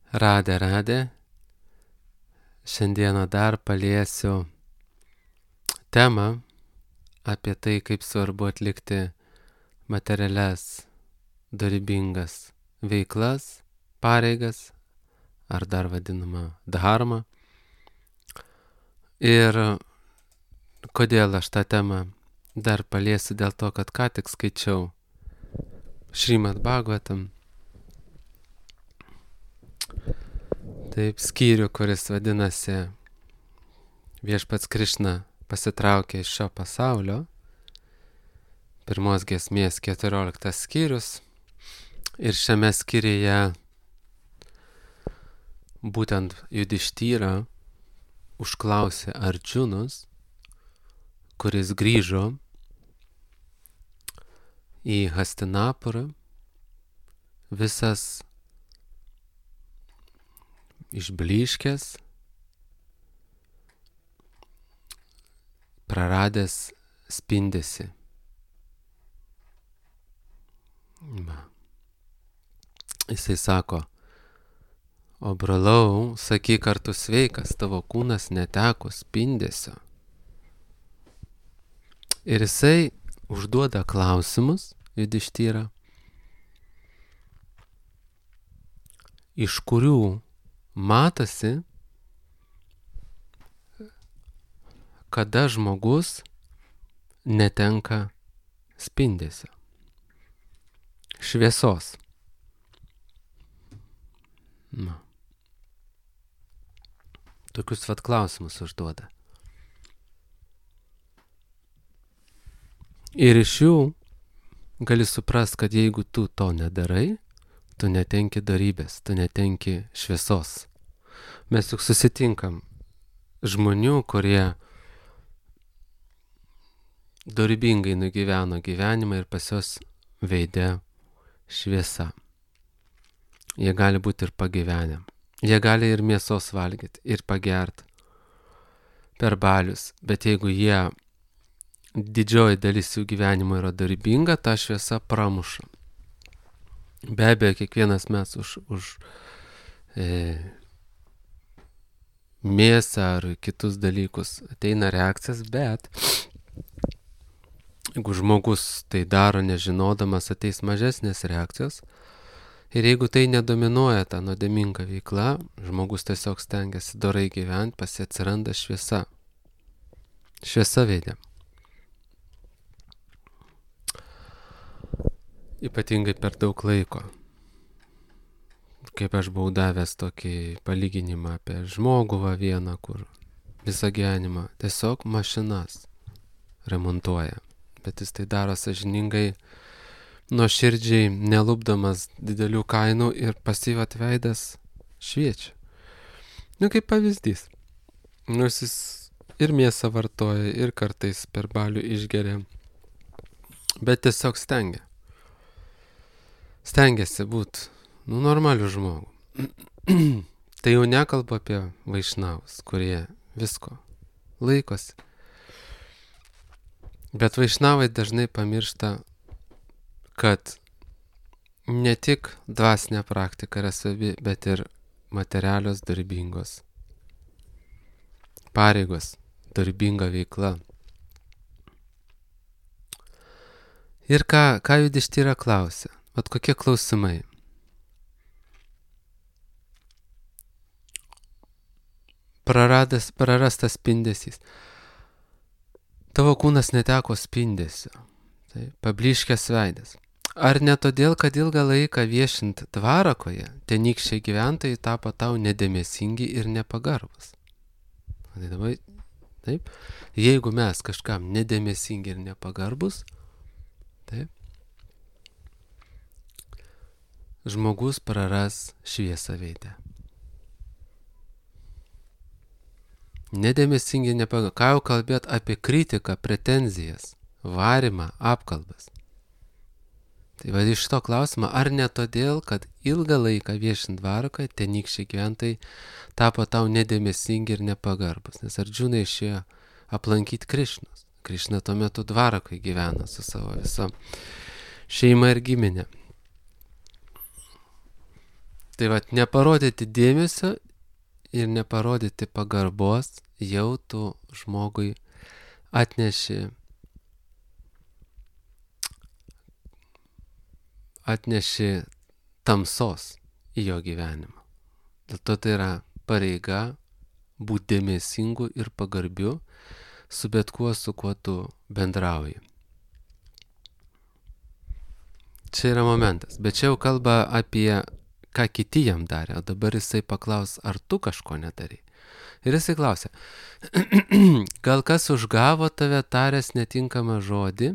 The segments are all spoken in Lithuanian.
Radė. Šiandieną dar paliesiu temą apie tai, kaip svarbu atlikti materialias, dorybingas veiklas, pareigas, ar dar vadinama dharma. Ir kodėl aš tą temą dar paliesiu, dėl to, kad ką tik skaičiau Šrimad Bhagavatam. Taip, skyrių, kuris vadinasi Viešpats Krišna pasitraukė iš šio pasaulio. Pirmos giesmės 14 skyrius. Ir šiame skyriuje būtent Judištyra užklausė Ardžunos, kuris grįžo į Hastinapurą, visas išblyškęs, praradęs spindesį. Jisai sako: o brolau, sakyk, ar tu sveikas, tavo kūnas neteko spindesio. Ir jisai užduoda klausimus, Judištyra, iš kurių matosi, kada žmogus netenka spindesio, šviesos. Tokius vat klausimus užduoda. Ir iš jų gali suprast, kad jeigu tu to nedarai, tu netenki dorybės, tu netenki šviesos. Mes juk susitinkam žmonių, kurie dorybingai nugyveno gyvenimą ir pas juos veide šviesa. Jie gali būti ir pagyvenę. Jie gali ir mėsos valgyti, ir pagert per balius. Bet jeigu didžioji dalis jų gyvenimo yra dorybinga, ta šviesa pramuša. Be abejo, kiekvienas mes už mėsą ar kitus dalykus ateina reakcijas, bet jeigu žmogus tai daro nežinodamas, ateis mažesnės reakcijos. Ir jeigu tai nedominuoja ta nuodėminga veikla, žmogus tiesiog stengiasi dorai gyventi, pas jį atsiranda šviesa. Šviesa veide. Ypatingai per daug laiko. Kaip aš buvau davęs tokį palyginimą apie žmogų vieną, kur visą gyvenimą tiesiog mašinas remontuoja. Bet jis tai daro sąžiningai, nuoširdžiai, nelupdamas didelių kainų ir pasyvat veidas šviečia. Kaip pavyzdys. Nors jis ir mėsą vartoja, ir kartais per balių išgeria. Bet tiesiog stengiasi būti normaliu žmogu. Tai jau nekalbu apie vaišnavus, kurie visko laikosi. Bet vaišnavai dažnai pamiršta, kad ne tik dvasinė praktika yra svarbi, bet ir materialios dorybingos pareigos, dorybinga veikla. Ir ką Judištyra klausia? Vat kokie klausimai? Prarastas spindesys. Tavo kūnas neteko spindesio. Tai pablyškęs veidas. Ar ne todėl, kad ilgą laiką viešint Dvarakoje, tenykščiai gyventojai tapo tau nedėmesingi ir nepagarbus? Taip. Jeigu mes kažkam nedėmesingi ir nepagarbus, taip, žmogus praras šviesą veidę. Nedėmesingi, nepagarbus. Ką jau kalbėt apie kritiką, pretenzijas, varimą, apkalbas? Tai va iš to klausimo, ar ne todėl, kad ilgą laiką viešint Dvarakoje, tenykščiai gyventojai tapo tau nedėmesingi ir nepagarbus? Nes Ardžuna išėjo aplankyti Krišnos. Krišna tuo metu Dvarakoje gyveno su savo visa šeima ir giminė. Tai vat neparodyti dėmesio ir neparodyti pagarbos jau tu žmogui atneši tamsos į jo gyvenimą. Dėl to tai yra pareiga būti dėmesingu ir pagarbiu su bet kuo, su kuo tu bendrauji. Čia yra momentas, bet čia jau kalba apie ką kiti jam darė, o dabar jisai paklaus, ar tu kažko nedarai. Ir jisai klausia, gal kas užgavo tave taręs netinkamą žodį?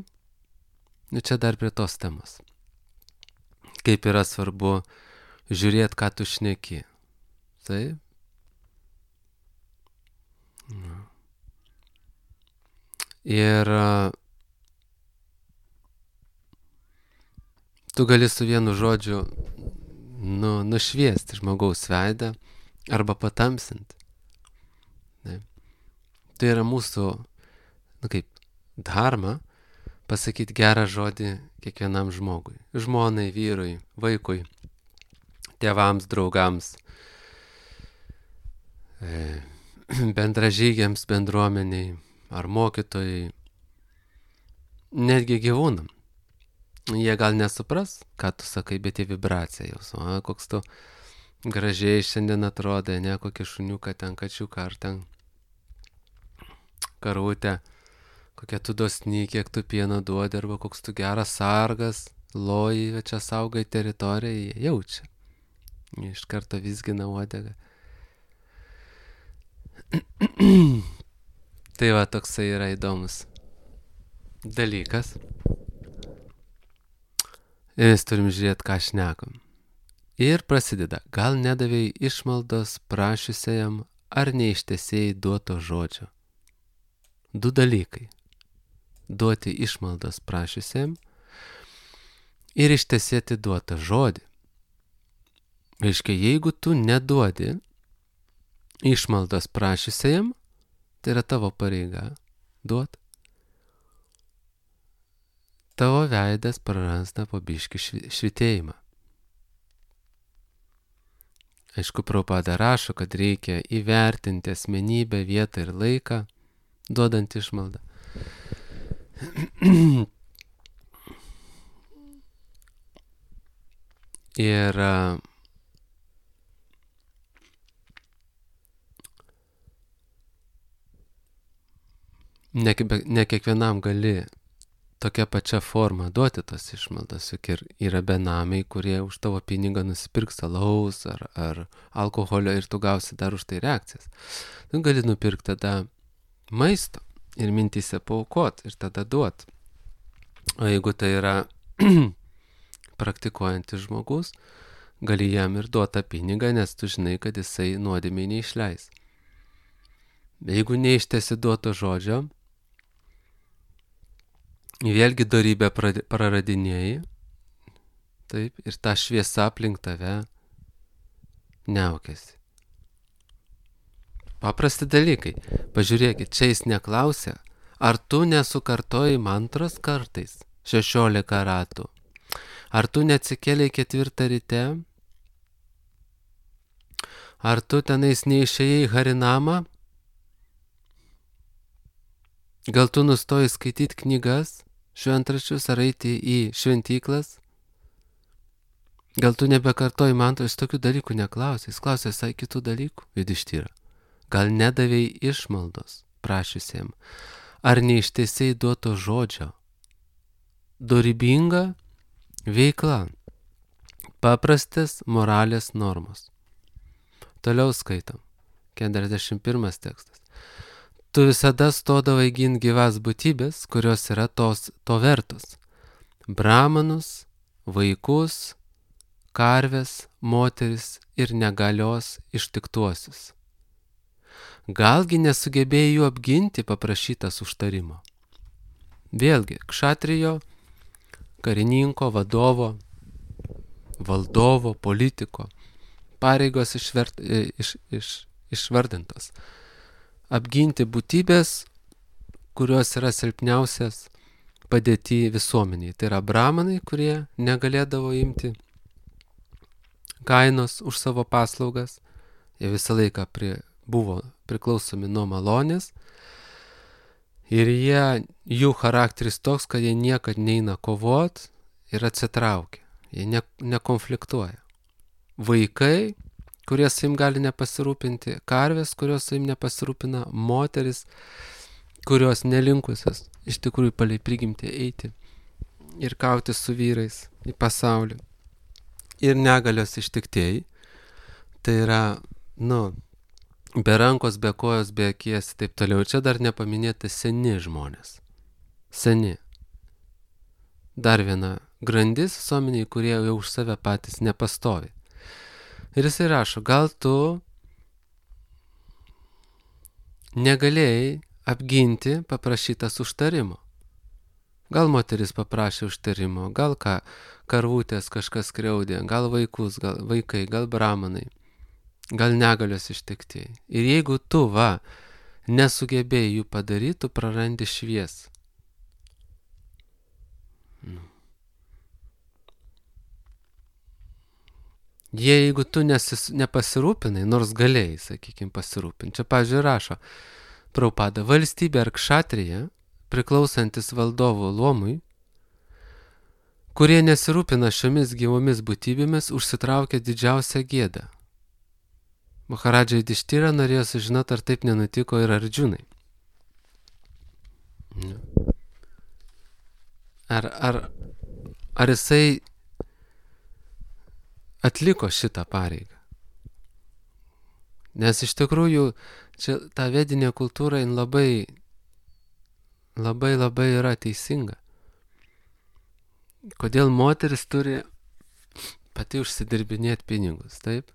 Nu čia dar prie tos temos. Kaip yra svarbu žiūrėti, ką tu šneki. Taip? Ir tu gali su vienu žodžiu nušviesti žmogaus veidą arba patamsinti. Tai yra mūsų, dharma, pasakyti gerą žodį kiekvienam žmogui. Žmonai, vyrui, vaikui, tėvams, draugams, bendražygiams, bendruomeniai ar mokytojai, netgi gyvūnam. Jie gal nesupras, ką tu sakai, bet į vibraciją jausų. Koks tu gražiai šiandien atrodai, ne kokį šuniuką ten, kačiuką ar ten karutę, kokia tu dosni, kiek tu pieno duodi, arba koks tu geras sargas, loji, čia saugai teritoriją, jie jaučia. Iš karto vizgina uodegą. Tai va, toksai yra įdomus dalykas. Ir mes turim žiūrėti, ką šnekam. Ir prasideda, gal nedavėjai išmaldos prašiusiajam, ar neištesėjai duoto žodžio. Du dalykai. Duoti išmaldos prašiusiajam ir ištesėti duotą žodį. Reiškia, jeigu tu neduodi išmaldos prašiusiajam, tai yra tavo pareiga duoti. Tavo veidas praranda po biškį švitėjimą. Aišku, Prabhupada rašo, kad reikia įvertinti asmenybę, vietą ir laiką, duodant išmaldą. Ir ne kiekvienam gali tokia pačia forma duoti tos išmaldas, juk ir yra benamiai, kurie už tavo pinigą nusipirks alaus ar alkoholio ir tu gausi dar už tai reakcijas. Tu gali nupirkti tada maisto ir mintyse paaukot ir tada duot. O jeigu tai yra praktikuojantis žmogus, gali jam ir duoti tą pinigą, nes tu žinai, kad jisai nuodėmei neišleis. Jeigu neištesi duoto žodžio, vėlgi dorybę praradinėjai, taip, ir ta šviesa aplink tave niaukiasi. Paprasti dalykai. Pažiūrėkit, čia jis neklausia, ar tu nesukartoji mantros kartais 16 ratų, ar tu neatsikėlei 4 ryte, ar tu tenais neišėjai harinamą, gal tu nustoji skaityti knygas, šventraščius ar eiti į šventyklas? Gal tu nebekartoji mantros, jis tokių dalykų neklausė, jis klausė visai kitų dalykų, Judištyra. Gal nedavėjai išmaldos prašysiem, ar neištesėjai duoto žodžio? Dorybinga veikla, paprastas moralės normos. Toliau skaitom, 41 tekstas. Tu visada stodavai ginti gyvas būtybės, kurios yra to vertos. Brahmanus, vaikus, karves, moteris ir negalios ištiktuosius. Galgi nesugebėjai jų apginti paprašytas užtarimo. Vėlgi, kšatrijo, karininko, vadovo, valdovo, politiko pareigos išvardintos. Apginti būtybės, kurios yra silpniausias padėti visuomeniai. Tai yra brahmanai, kurie negalėdavo imti kainos už savo paslaugas, jie visą laiką buvo priklausomi nuo malonės ir jų charakteris toks, kad jie niekad neina kovot ir atsitraukia, jie nekonfliktuoja. Vaikai, kurie savim gali nepasirūpinti, karvės, kurios savim nepasirūpina, moteris, kurios nelinkusios iš tikrųjų palei prigimtį eiti ir kauti su vyrais į pasaulį. Ir negalios ištiktieji, tai yra, be rankos, be kojos, be akies, taip toliau. Čia dar nepaminėti seni žmonės. Seni. Dar viena grandis visuomeniai, kurie jau už save patys nepastovi. Ir jisai rašo, gal tu negalėjai apginti paprašytas užtarimo. Gal moteris paprašė užtarimo, gal karvutės kažkas skriaudė, gal vaikai, gal bramanai, gal negalios ištiktieji. Ir jeigu tu nesugebėjai jų padaryti, tu prarandi šviesą. Jeigu tu nepasirūpinai, nors galėjai, sakykime, pasirūpinti. Čia, pavyzdžiui, rašo Prabhupada, valstybė ar kšatrija, priklausantis valdovų luomui, kurie nesirūpina šiomis gyvomis būtybėmis, užsitraukia didžiausią gėdą. Maharadža Judištyra norėjo sužinoti, ar taip nenutiko ir Ardžunai. Ar jisai atliko šitą pareigą? Nes iš tikrųjų, čia ta vedinė kultūra labai yra teisinga. Kodėl moteris turi pati užsidirbinėti pinigus, taip?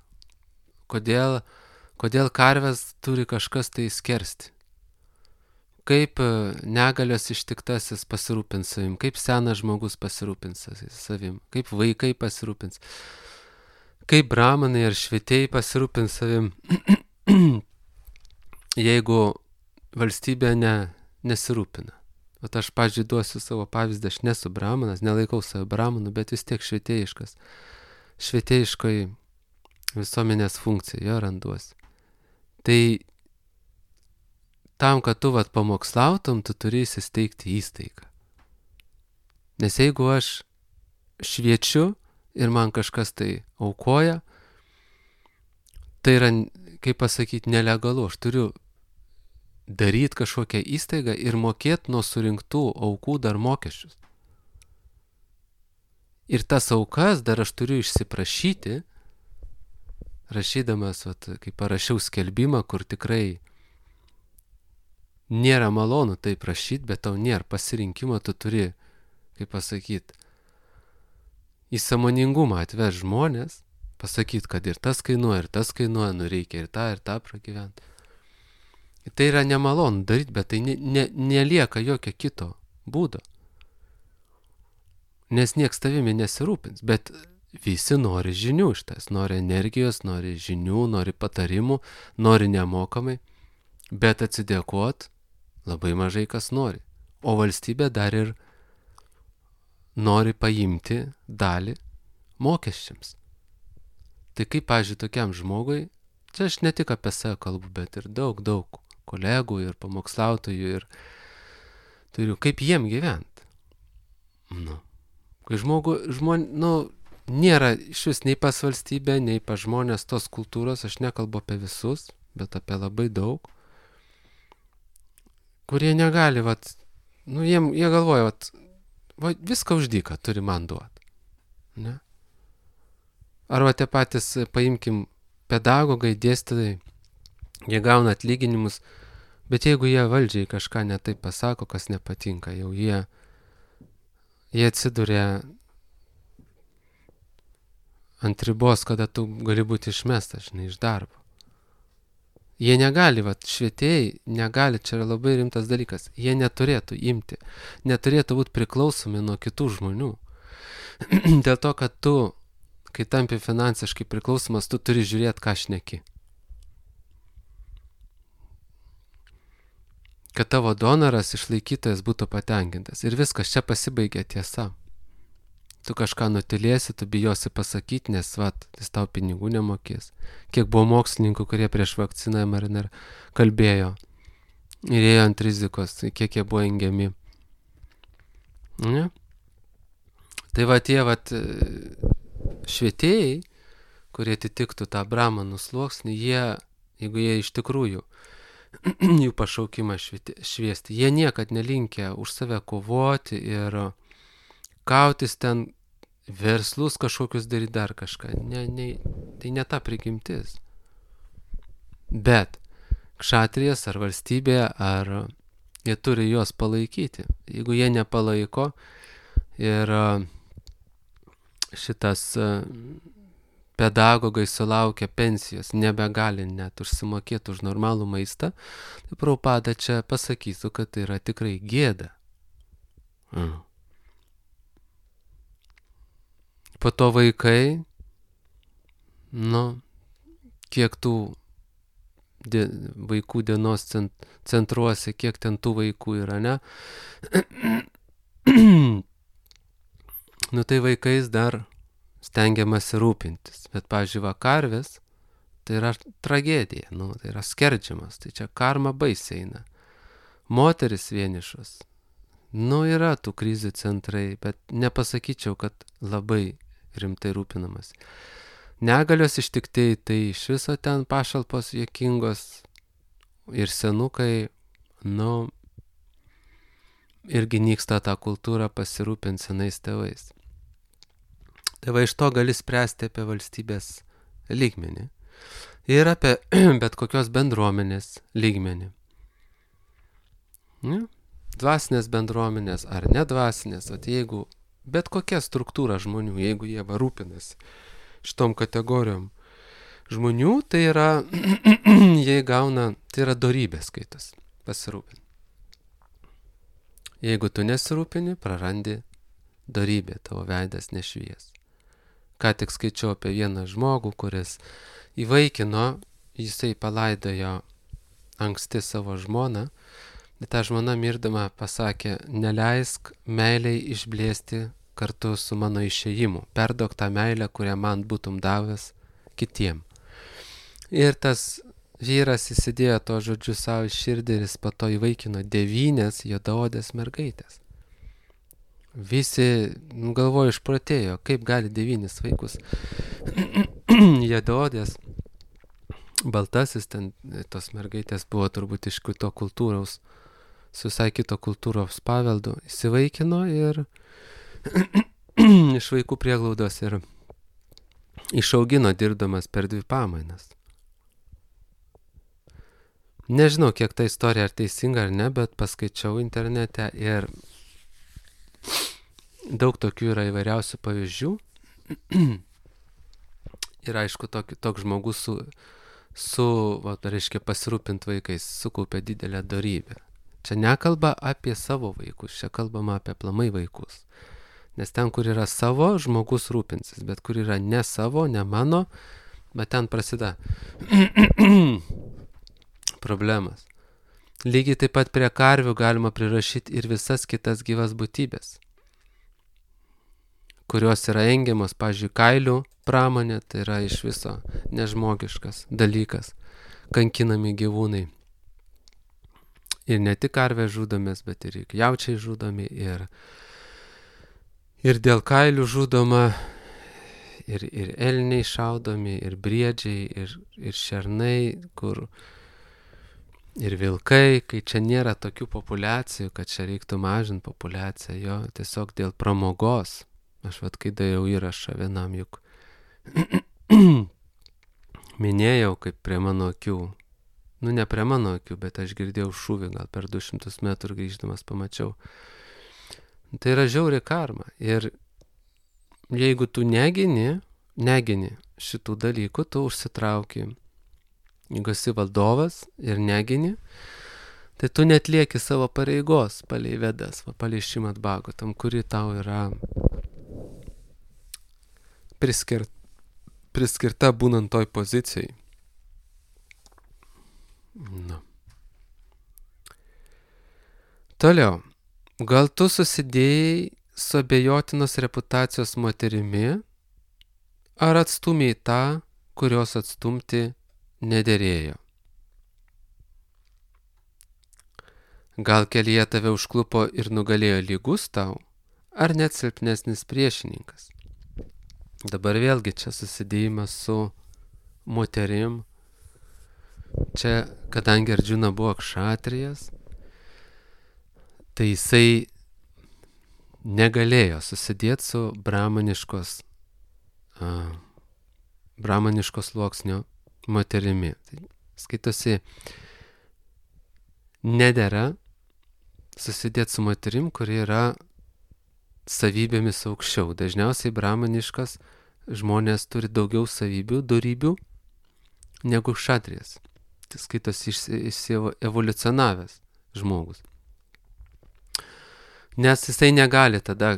Kodėl karves turi kažkas tai skersti? Kaip negalios ištiktasis pasirūpins savim, kaip senas žmogus pasirūpins savim, kaip vaikai pasirūpins, kaip bramanai ar švietėjai pasirūpins savim, jeigu valstybė nesirūpina. O aš, pavyzdžiui, duosiu savo pavyzdį, aš nesu bramanas, nelaikau savo bramanu, bet vis tiek švietėjiškas. Švietėjiškoj visuomenės funkcija, jo randuosi. Tai tam, kad tu pamokslautum, tu turi įsisteigti įstaigą. Nes jeigu aš šviečiu ir man kažkas tai aukoja, tai yra, kaip pasakyti, nelegalu. Aš turiu daryti kažkokią įstaigą ir mokėti nuo surinktų aukų dar mokesčius. Ir tas aukas dar aš turiu išsiprašyti, rašydamas, kai parašiau skelbimą, kur tikrai nėra malonu tai prašyti, bet tau nėra pasirinkimo, tu turi, kaip pasakyti, į sąmoningumą atveš žmonės, pasakyti, kad ir tas kainuoja, reikia ir tą pragyventi. Tai yra nemalonu daryti, bet tai nelieka jokio kito būdo. Nes nieks tavimi nesirūpins, bet visi nori žinių iš tas, nori energijos, nori žinių, nori patarimų, nori nemokamai, bet atsidėkot labai mažai kas nori. O valstybė dar ir nori paimti dalį mokesčiams. Tai kaip, pavyzdžiui, tokiam žmogui, čia aš ne tik apie save kalbu, bet ir daug kolegų ir pamokslautojų ir turiu, kaip jiem gyventi. Kai nėra iš vis nei pas valstybę, nei pas žmonės tos kultūros, aš nekalbu apie visus, bet apie labai daug, kurie negali, jie galvoja, viską už dyką turi man duoti. Ne? Arba tie patys, paimkim, pedagogai, dėstytojai, jie gauna atlyginimus, bet jeigu jie valdžiai kažką netaip pasako, kas nepatinka, jau jie atsiduria ant ribos, kada tu gali būti išmestas, iš darbo. Jie negali, švietėjai negali, čia yra labai rimtas dalykas, jie neturėtų būti priklausomi nuo kitų žmonių. Dėl to, kad tu, kai tampi finansiškai priklausomas, tu turi žiūrėti, ką šneki. Kad tavo donoras, išlaikytojas būtų patenkintas. Ir viskas, čia pasibaigia tiesa. tu kažką nutilėsi, tu bijosi pasakyti, nes jis tau pinigų nemokės. Kiek buvo mokslininkų, kurie prieš vakciną mRNA kalbėjo ir ėjo ant rizikos, kiek jie buvo engiami. Ne? Tai tie švietėjai, kurie atitiktų tą bramanų sluoksnį, jeigu jie iš tikrųjų jų pašaukimą šviesti, jie niekad nelinkę už save kovoti ir kautis ten verslus kažkokius daryti dar kažką. Tai ne ta prigimtis. Bet kšatrijas ar valstybė, ar jie turi juos palaikyti. Jeigu jie nepalaiko ir šitas pedagogai sulaukia pensijos, nebegali net užsimokėti už normalų maistą, tai Prabhupada čia pasakytų, kad tai yra tikrai gėda. Po to vaikai, kiek tų vaikų dienos centruose, kiek ten tų vaikų yra, ne? Tai vaikais dar stengiamasi rūpintis. Bet, pavyzdžiui, karvės, tai yra tragedija, tai yra skerdžiamas, tai čia karma baisiai eina. Moteris vienišos, yra tų krizių centrai, bet nepasakyčiau, kad labai rimtai rūpinamas. Negalios ištiktieji, tai iš viso ten pašalpos juokingos ir senukai, irgi nyksta tą kultūrą pasirūpinti senais tėvais. Tai iš to gali spręsti apie valstybės lygmenį ir apie bet kokios bendruomenės lygmenį. Dvasinės bendruomenės ar nedvasinės, jeigu bet kokia struktūra žmonių, jeigu jie rūpinasi šitom kategorijom žmonių, tai yra, jie gauna, tai yra dorybė skaitas, pasirūpinti. Jeigu tu nesirūpini, prarandi dorybę, tavo veidas nešvies. Ką tik skaičiau apie vieną žmogų, kuris įvaikino, jisai palaidojo anksti savo žmoną, bet ta žmona mirdama pasakė, neleisk meiliai išblėsti kartu su mano išėjimu, perduok tą meilę, kurią man būtum davęs kitiem. Ir tas vyras įsidėjo to žodžiu savo širdį ir jis po to įvaikino 9 juodaodės mergaitės. Visi galvojo išprotėjo, kaip gali 9 vaikus. Juodaodės, baltasis, ten tos mergaitės buvo turbūt iš kito kultūros, su visai kito kultūros paveldu, įsivaikino ir iš vaikų prieglaudos ir išaugino dirbdamas per 2 pamainas. Nežinau, kiek ta istorija ar teisinga ar ne, bet paskaičiau internete ir daug tokių yra įvairiausių pavyzdžių. Ir aišku, toks žmogus reiškia pasirūpinti vaikais, sukaupė didelę dorybę. Čia nekalba apie savo vaikus, čia kalbama apie aplamai vaikus. Nes ten, kur yra savo, žmogus rūpinsis, bet kur yra ne savo, ne mano, bet ten prasideda problemas. Lygiai taip pat prie karvių galima prirašyti ir visas kitas gyvas būtybės, kurios yra engiamos, pavyzdžiui, kailių pramonė, tai yra iš viso nežmogiškas dalykas, kankinami gyvūnai. Ir ne tik karvės žudomės, bet ir jaučiai žudomi, ir dėl kailių žudoma, ir elniai šaudomi, ir briedžiai, ir šernai, ir vilkai, kai čia nėra tokių populiacijų, kad čia reiktų mažinti populiaciją, jo, tiesiog dėl pramogos. Aš kai dariau įrašą vienam juk minėjau, kaip prie mano akių, ne prie mano akių, bet aš girdėjau šūvį, gal per 200 metrų grįždamas pamačiau. Tai yra žiauri karma. Ir jeigu tu negini šitų dalykų, tu užsitrauki. Jeigu esi valdovas ir negini, tai tu netlieki savo pareigos palei Vedas, palei Šrimad Bhagavatam, kuri tau yra priskirta būnant toj pozicijai. Toliau. Gal tu susidėjai su abejotinos reputacijos moterimi, ar atstūmei tą, kurios atstumti nederėjo? Gal kelyje tave užklupo ir nugalėjo lygus tau, ar net silpnesnis priešininkas? Dabar vėlgi čia susidėjimas su moterim. Čia, kadangi Ardžuna buvo kšatrijas, tai jisai negalėjo susidėti su brahmaniškos sluoksnio moterimi. Tai skaitosi, nedera susidėti su moterim, kuri yra savybėmis aukščiau. Dažniausiai brahmaniškas žmonės turi daugiau savybių, dorybių negu kšatrijas. Tai skaitosi evoliucionavęs žmogus. Nes jisai negali tada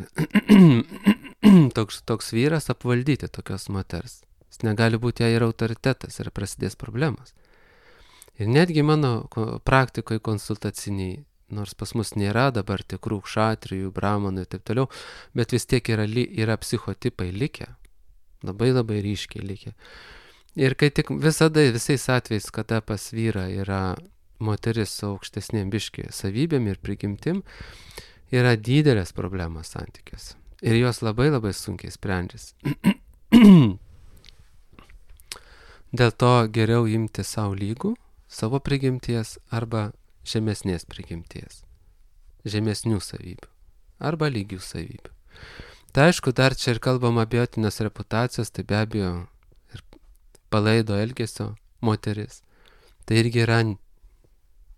toks vyras apvaldyti tokios moters. Jis negali būti jai ir autoritetas ir prasidės problemas. Ir netgi mano praktikoje konsultaciniai, nors pas mus nėra dabar tikrų kšatrijų, brahmanų ir taip toliau, bet vis tiek yra psichotipai likę, labai ryškiai likę. Ir kai tik visais atvejais, kada pas vyrą yra moteris su aukštesnėm biški savybėm ir prigimtim, yra didelės problemos santykiuose. Ir jos labai sunkiai sprendžiasi. Dėl to geriau imti savo lygų, savo prigimties arba žemesnės prigimties, žemesnių savybių arba lygių savybių. Tai aišku, dar čia ir kalbam abejotinos reputacijos, tai be abejo ir palaido elgesio moteris. Tai irgi yra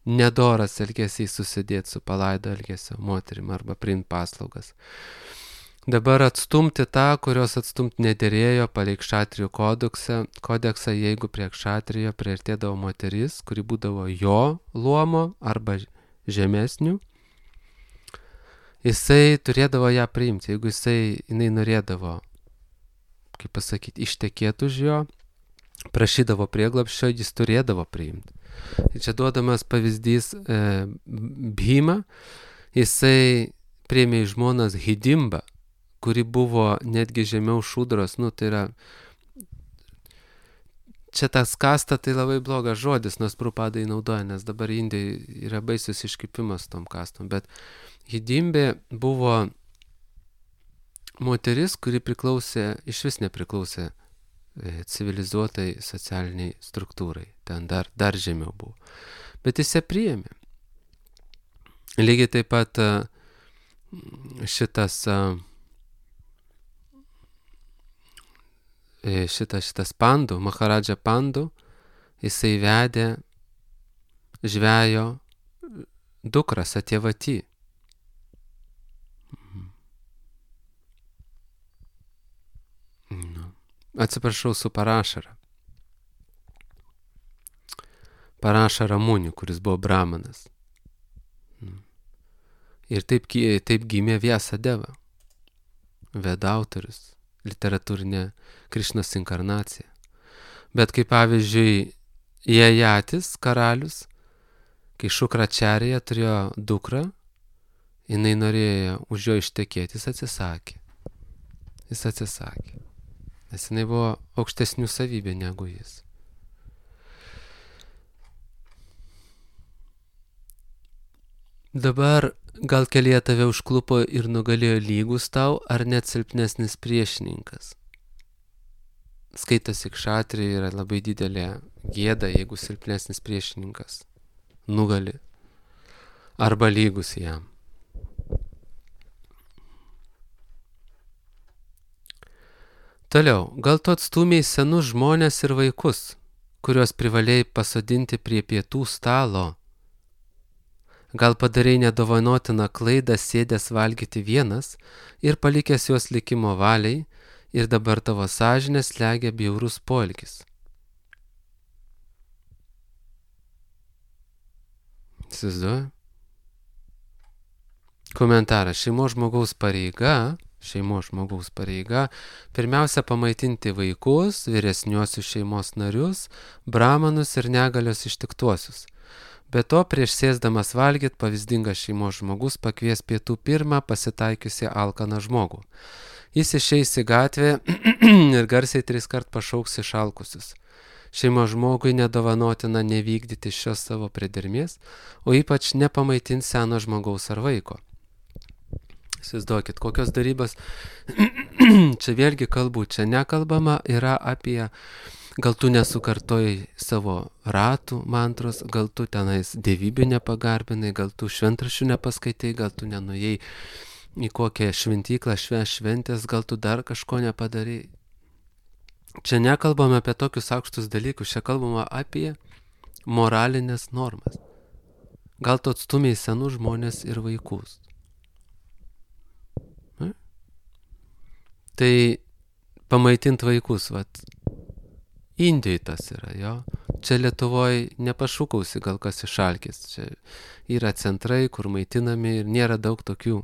nedoras elgesys susidėti su palaido elgesio moterim arba priimti paslaugas. Dabar atstumti tą, kurios atstumti nederėjo palei kšatrijų kodeksą, jeigu prie kšatrijo priartėdavo moteris, kuri būdavo jo luomo arba žemesnių, jisai turėdavo ją priimti. Jeigu jinai norėdavo, kaip pasakyti, ištekėti už jo, prašydavo prieglobsčio, jis turėdavo priimti. Ir čia duodamas pavyzdys Bhima, jisai priėmė į žmonas Hidimbą, kuri buvo netgi žemiau šūdros, tai yra, čia tas kasta tai labai blogas žodis, nors Prabhupada naudoja, nes dabar Indijai yra baisus iškipimas tom kastom, bet Hidimbė buvo moteris, kuri iš vis nepriklausė civilizuotai socialiniai struktūrai, ten dar žemiau buvo, bet jis ją priėmė. Lygiai taip pat šitas Pandu, Maharadža Pandu, jisai vedė žvejo dukrą Satyavati. Atsiprašau, su Parašara. Parašara Muni, kuris buvo brahmanas. Ir taip gimė Vyasadeva, Veda autorius, literatūrinė Krišnos inkarnacija. Bet kaip pavyzdžiui, Jajatis, karalius, kai Šukračarija turėjo dukrą, jinai norėjo už jo ištekėti, jis atsisakė. Nes jinai buvo aukštesnių savybė negu jis. Dabar gal kelyje tave užklupo ir nugalėjo lygus tau, ar net silpnesnis priešininkas. Skaitosi kšatrijai yra labai didelė gėda, jeigu silpnesnis priešininkas nugali arba lygus jam. Toliau, gal tu atstūmei senus žmonės ir vaikus, kuriuos privalėjai pasodinti prie pietų stalo. Gal padarei nedovanotiną klaidą sėdęs valgyti vienas ir palikęs juos likimo valiai, ir dabar tavo sąžinę slegia bjaurus poelgis. Įsivaizduoju? Komentaras. Šeimos žmogaus pareiga pirmiausia pamaitinti vaikus, vyresniuosius šeimos narius, brahmanus ir negalios ištiktuosius. Be to, prieš sėsdamas valgyt, pavyzdingas šeimos žmogus pakvies pietų pirmą pasitaikiusi alkaną žmogų. Jis išeis į gatvę ir garsiai 3 kart pašauks išalkusius. Šeimos žmogui nedovanotina nevykdyti šios savo priedermės, o ypač nepamaitins seno žmogaus ar vaiko. Įsivaizduokit, kokios darybos, čia vėlgi kalbu, čia nekalbama yra apie, gal tu nesukartojai savo ratų mantros, gal tu tenais dievybių nepagarbinai, gal tu šventraščių nepaskaitai, gal tu nenuėjai į kokią šventyklą šventės, gal tu dar kažko nepadarai. Čia nekalbame apie tokius aukštus dalykus, čia kalbama apie moralinės normas. Gal tu atstumiai senus žmonės ir vaikus. Tai pamaitint vaikus, Indijai tas yra, jo. Čia Lietuvoje nepašūkausi gal kas išalkis. Čia yra centrai, kur maitinami ir nėra daug tokių,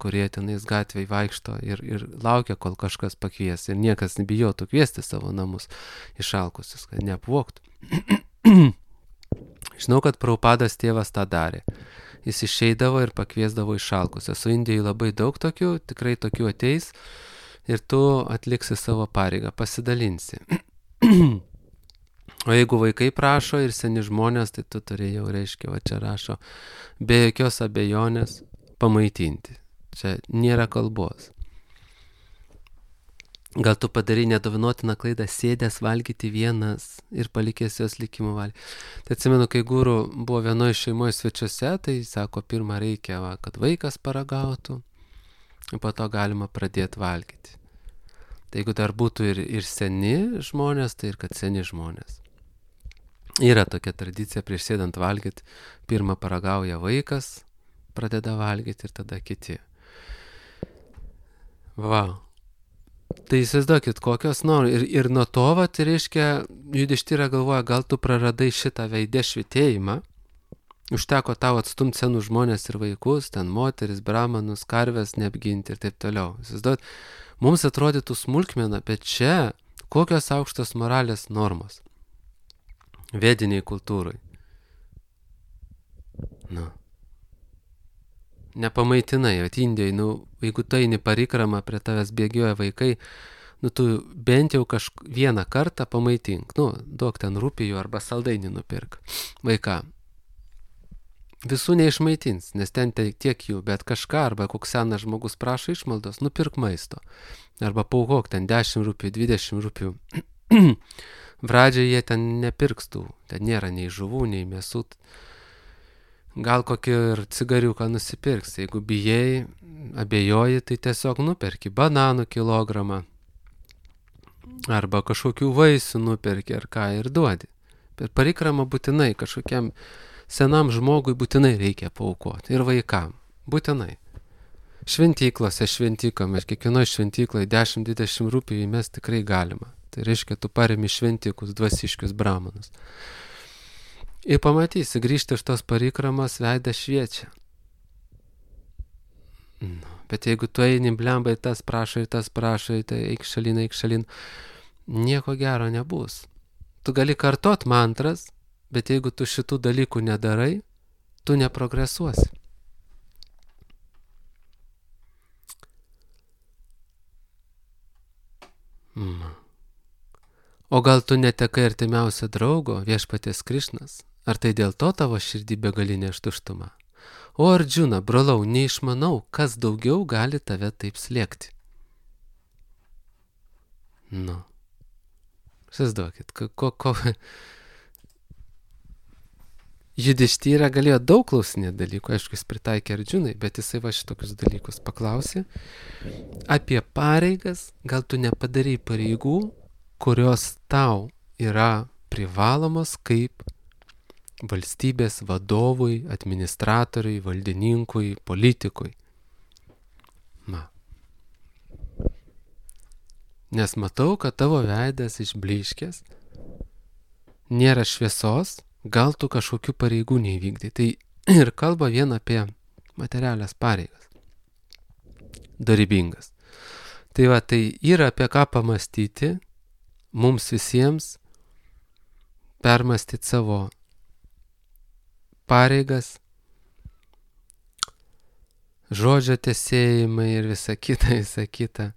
kurie tenais gatvėj vaikšto ir laukia, kol kažkas pakvies. Ir niekas nebijotų kviesti savo namus išalkusius, kad neapvogtų. Žinau, kad Prabhupados tėvas tą darė. Jis išeidavo ir pakviesdavo išalkusius. Su Indijai labai daug tokių, tikrai tokių ateis ir tu atliksi savo pareigą, pasidalinsi. O jeigu vaikai prašo ir seni žmonės, tai tu turi jau, reiškia, čia rašo, be jokios abejonės pamaitinti. Čia nėra kalbos. Gal tu padarai nedovinotiną klaidą sėdęs valgyti vienas ir palikęs jos likimo valiai. Tai atsimenu, kai guru buvo vienoje šeimoje svečiuose, tai sako, pirmą reikia, kad vaikas paragautų, ir po to galima pradėti valgyti. Tai jeigu dar būtų ir seni žmonės, tai ir kad seni žmonės. Yra tokia tradicija, prieš sėdant valgyti, pirmą paragauja vaikas, pradeda valgyti ir tada kiti. Tai įsivaizduokit, kokios nori. Ir nuo to, tai reiškia, Judištyra galvoja, gal tu praradai šitą veidę švitėjimą, užteko tau atstumti senus žmonės ir vaikus, ten moteris, brahmanus, karves neapginti ir taip toliau. Įsivaizduokit, mums atrodytų smulkmena, bet čia kokios aukštos moralės normos vediniai kultūrai. Nepamaitinai, Indijai, jeigu tu eini parikramą, prie tavęs bėgioja vaikai, tu bent jau vieną kartą pamaitink, duok ten rūpijų arba saldainį nupirk vaiką. Visų neišmaitins, nes ten tiek jų, bet kažką, arba koks senas žmogus prašo išmaldos, nupirk maisto. Arba paukok ten 10 rūpijų, 20 rūpijų. Pradžiai jie ten nepirkstų, ten nėra nei žuvų, nei mėsų. Gal kokį ir cigariuką nusipirks, jeigu bijai, abejoji, tai tiesiog nuperki bananų kilogramą. Arba kažkokių vaisių nuperki ar ką ir duodi. Bet parikramą būtinai kažkokiam senam žmogui būtinai reikia paaukoti. Ir vaikam. Būtinai. Šventyklose, šventykome, kiekvienoje šventykloje 10-20 rūpijų mes tikrai galima. Tai reiškia, tu paremi šventikus, dvasiškius brahmanus. Ir pamatysi, grįžti iš tos parikramos, veidas šviečia. Bet jeigu tu eini blembai, tas prašai, tai eik šalin, nieko gero nebus. Tu gali kartot mantras, bet jeigu tu šitų dalykų nedarai, tu neprogresuosi. O gal tu netekai artimiausią draugo, viešpaties Krišnas? Ar tai dėl to tavo širdį begalinė tuštuma? O Ardžuna, brolau, neišmanau, kas daugiau gali tave taip slėgti. Įsivaizduokit, Judištyra galėjo daug klausinėti dalykų, aišku, jis pritaikė Ardžunai, bet jisai šitokius dalykus paklausė. Apie pareigas, gal tu nepadarai pareigų, kurios tau yra privalomos kaip valstybės vadovui, administratoriui, valdininkui, politikui. Nes matau, kad tavo veidas išblyškęs, nėra šviesos, gal tu kažkokių pareigų neįvykdai. Tai ir kalba vien apie materialias pareigas. Darybingas. Tai yra apie ką pamastyti, mums visiems permastyti savo pareigas, žodžio tesėjimai ir visa kita,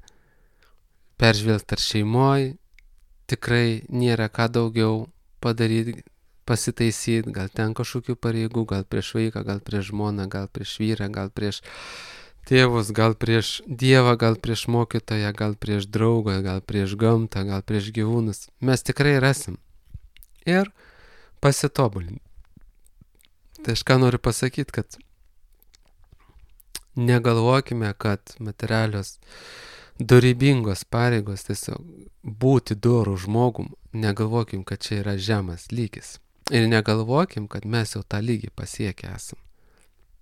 peržvelgti ar šeimoje, tikrai nėra ką daugiau padaryti, pasitaisyti, gal ten kažkokių pareigų, gal prieš vaiką, gal prieš žmoną, gal prieš vyrą, gal prieš tėvus, gal prieš Dievą, gal prieš mokytoją, gal prieš draugą, gal prieš gamtą, gal prieš gyvūnus. Mes tikrai rasim. Ir pasitobulinti. Tai aš ką noriu pasakyti, kad negalvokime, kad materialios dorybingos pareigos, tiesiog būti dorų žmogum, negalvokim, kad čia yra žemas lygis. Ir negalvokim, kad mes jau tą lygį pasiekę esam.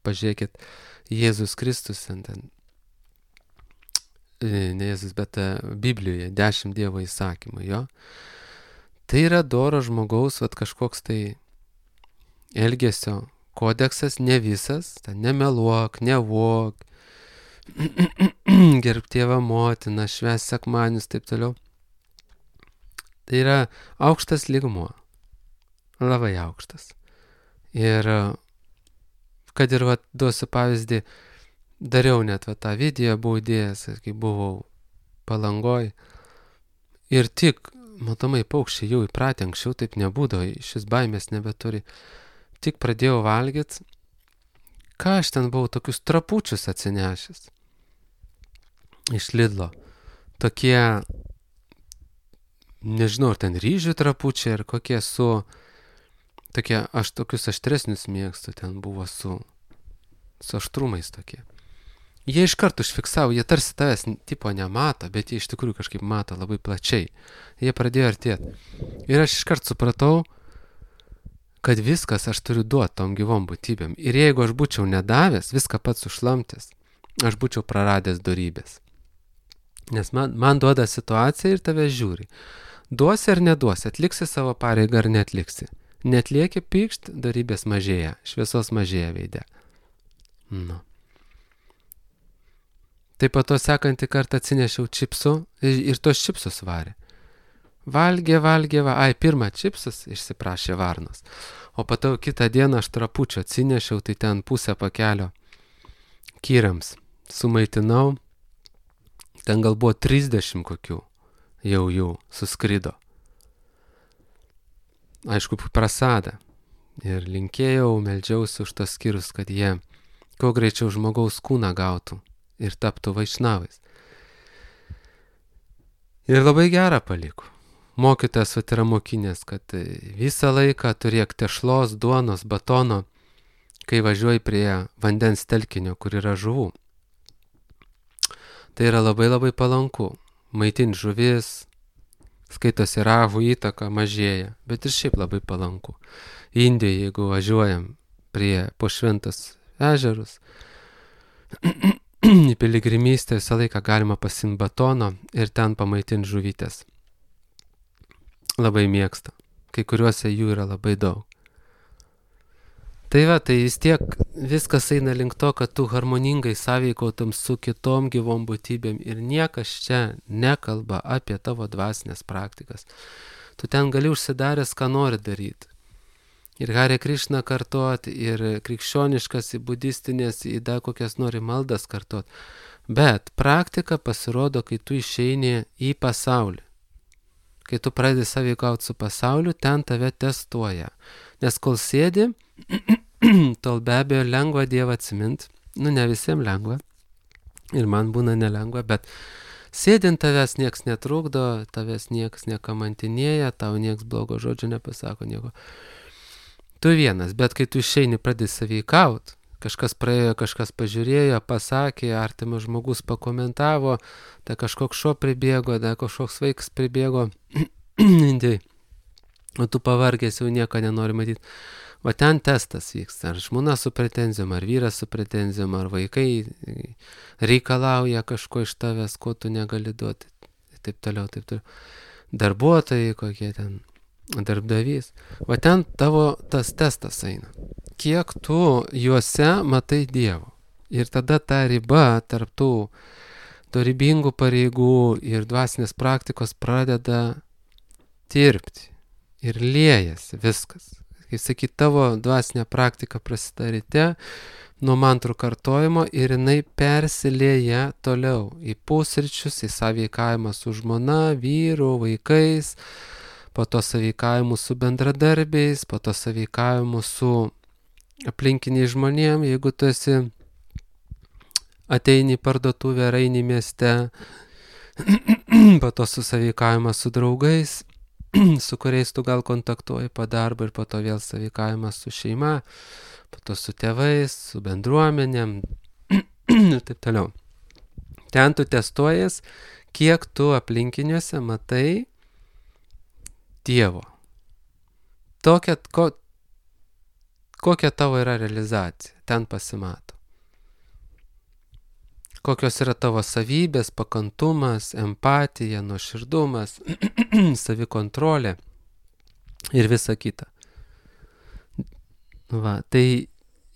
Pažiūrėkit, Jėzus Kristus, ne Jėzus, bet Biblijoje 10 Dievo įsakymų, jo. Tai yra doro žmogaus, kažkoks tai elgesio kodeksas, ne visas, nemeluok, nevok, gerbk tėvą motiną, švęsk sekmadienius, taip toliau. Tai yra aukštas lygmuo, labai aukštas. Ir kad ir duosiu pavyzdį, dariau net tą video, buvau įdėjęs, kai buvau Palangoj. Ir tik, matomai, paukščiai jau įpratę, anksčiau taip nebūdavo, šis baimės nebeturi. Tik pradėjau valgyti, ką aš ten buvau, tokius trapučius atsinešęs iš Lidlo. Tokie, nežinau, ar ten ryžių trapučiai, ar kokie tokie, aš tokius aštresnius mėgstu, ten buvo su aštrumais tokie. Jie iš karto užfiksavo, jie tarsi tavęs tipo nemato, bet jie iš tikrųjų kažkaip mato labai plačiai. Jie pradėjo artėti. Ir aš iš karto supratau, kad viskas aš turiu duoti tom gyvom būtybėm. Ir jeigu aš būčiau nedavęs, viską pats užlamtęs, aš būčiau praradęs dorybės. Nes man duoda situacija ir tave žiūri. Duosi ar neduosi, atliksi savo pareigą ar neatliksi. Netlieki pykšt, dorybės mažėja, šviesos mažėja veide. Nu. Taip pat to sekantį kartą atsinešiau čipsų ir tos čipsus varė. Valgė, pirmą čipsus išsiprašė varnos. O patau kitą dieną aš trapučio atsinešiau, tai ten pusę pakelio kyrams sumaitinau. Ten gal buvo 30 kokių, jau jų suskrido. Aišku, prasada. Ir linkėjau, meldžiausi už tos skyrus, kad jie kuo greičiau žmogaus kūną gautų ir taptų vaišnavais. Ir labai gerą paliko. Mokytojas yra mokinės, kad visą laiką turėk tešlos, duonos, batono, kai važiuoji prie vandens telkinio, kur yra žuvų. Tai yra labai labai palanku. Maitinti žuvis, skaitosi ravų įtaka mažėja, bet ir šiaip labai palanku. Indijoje, jeigu važiuojam po šventas ežerus, į piligrimystę visą laiką galima pasimti batono ir ten pamaitinti žuvytės. Labai mėgsta. Kai kuriuose jų yra labai daug. Tai vis tiek viskas eina link to, kad tu harmoningai sąveikautum su kitom gyvom būtybėm ir niekas čia nekalba apie tavo dvasinės praktikas. Tu ten gali užsidaręs, ką nori daryti. Ir Hare Krishna kartuoti, ir krikščioniškas, ir budistinės, ir dar kokias nori maldas kartuoti. Bet praktika pasirodo, kai tu išeini į pasaulį. Kai tu pradedi sąveikauti su pasauliu, ten tave testuoja. Nes kol sėdi, tol be abejo lengva Dievą atsimint. Ne visiems lengva. Ir man būna nelengva, bet sėdint tavęs nieks netrukdo, tavęs nieks nekamantinėja, tau nieks blogo žodžio nepasako nieko. Tu vienas, bet kai tu išeini pradedi sąveikauti, kažkas praėjo, kažkas pažiūrėjo, pasakė, artimas žmogus pakomentavo, tai kažkoks šuo pribėgo, tai kažkoks vaikas pribėgo, o tu pavargęs jau nieko nenori matyti. O ten testas vyksta, ar žmona su pretenzijom, ar vyras su pretenzijom, ar vaikai reikalauja kažko iš tavęs, ko tu negali duoti, taip toliau. Darbuotojai kokie ten, darbdavys. O ten tavo tas testas eina. Kiek tu juose matai Dievo. Ir tada ta riba tarp tų dorybingų pareigų ir dvasinės praktikos pradeda tirpti. Ir liejasi viskas. Kaip sakyt, tavo dvasinė praktika prasideda ryte nuo mantrų kartojimo ir jinai persilieja toliau į pusryčius, į sąveikavimą su žmona, vyru, vaikais, po to sąveikavimu su bendradarbiais, po to sąveikavimu su aplinkiniai žmonėm, jeigu tu ateini į parduotuvę ar eini mieste, po to su sąveikavimas su draugais, su kuriais tu gal kontaktuoji po darbo ir po to vėl sąveikavimas su šeima, po to su tėvais, su bendruomenėm ir taip toliau. Ten tu testuojas, kiek tu aplinkiniuose matai Dievo. Kokia tavo yra realizacija, ten pasimato. Kokios yra tavo savybės, pakantumas, empatija, nuoširdumas, savikontrolė ir visa kita. Va, tai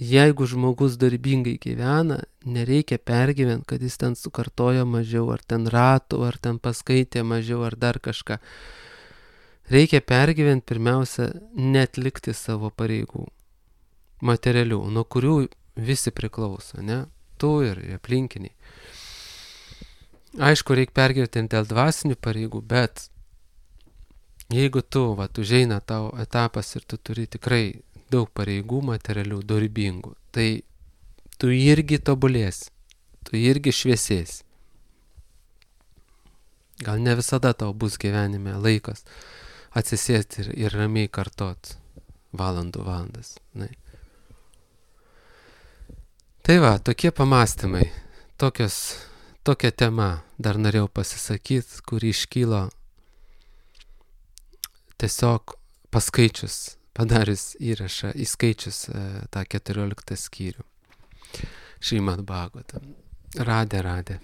jeigu žmogus darbingai gyvena, nereikia pergyventi, kad jis ten sukartoja mažiau, ar ten ratų, ar ten paskaitė mažiau, ar dar kažką. Reikia pergyventi pirmiausia, netlikti savo pareigų, materialių, nuo kurių visi priklauso, ne? Tu ir aplinkiniai. Aišku, reikia pergyventi dėl dvasinių pareigų, bet jeigu tu, užeina tavo etapas ir tu turi tikrai daug pareigų materialių, dorybingų, tai tu irgi tobulėsi, tu irgi šviesėsi. Gal ne visada tau bus gyvenime laikas atsisėsti ir ramiai kartot valandas. Ne? Tai va, tokie pamastymai, tokia tema dar norėjau pasisakyti, kuri iškylo tiesiog paskaičius, padarius įrašą, įskaičius tą 14 skyrių. Šrimad Bhagavatam. Radhe.